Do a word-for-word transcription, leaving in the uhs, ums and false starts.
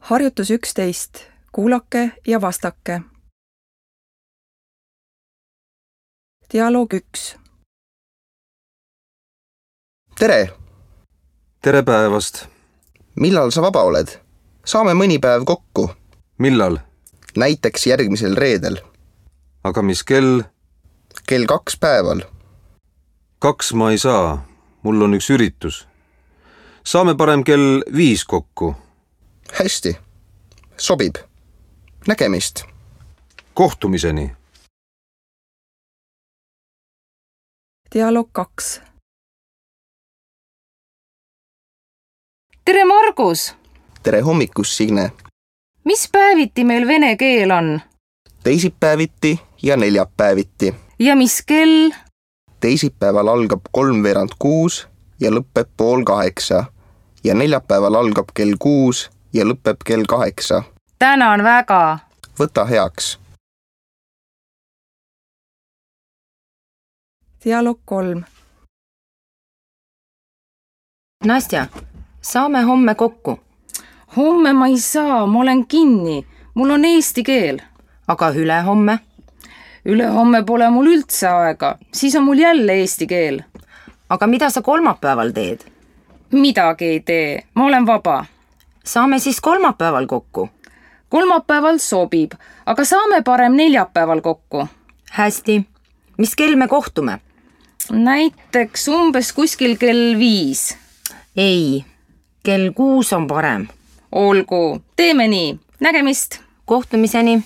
Harjutus üksteist. Kuulake ja vastake. Dialoog üks. Tere! Tere päevast! Millal sa vaba oled? Saame mõni päev kokku. Millal? Näiteks järgmisel reedel. Aga mis kell? Kell kaks päeval. Kaks ma ei saa. Mul on üks üritus. Saame parem kell viis kokku. Hästi. Sobib. Nägemist. Kohtumiseni. Dialoog kaks. Tere, Margus! Tere hommikus, Signe! Mis päeviti meil vene keel on? Teisipäeviti ja neljapäeviti. Ja mis kell? Teisipäeval algab kolmveerand kuus ja lõpeb pool kaheksa. Ja neljapäeval algab kell kuus ja lõpeb kell kaheksa. Tänan väga! Võta heaks. Dialoog kolm. Nastja, saame homme kokku. Homme ma ei saa, ma olen kinni. Mul on eesti keel. Aga ülehomme? Ülehomme pole mul üldse aega. Siis on mul jälle eesti keel. Aga mida sa kolmapäeval teed? Midagi ei tee. Ma olen vaba. Saame siis kolmapäeval kokku. Kolmapäeval sobib, aga saame parem neljapäeval kokku. Hästi. Mis kell me kohtume? Näiteks umbes kuskil kell viis. Ei, kell kuus on parem. Olgu, teeme nii. Nägemist. Kohtumiseni.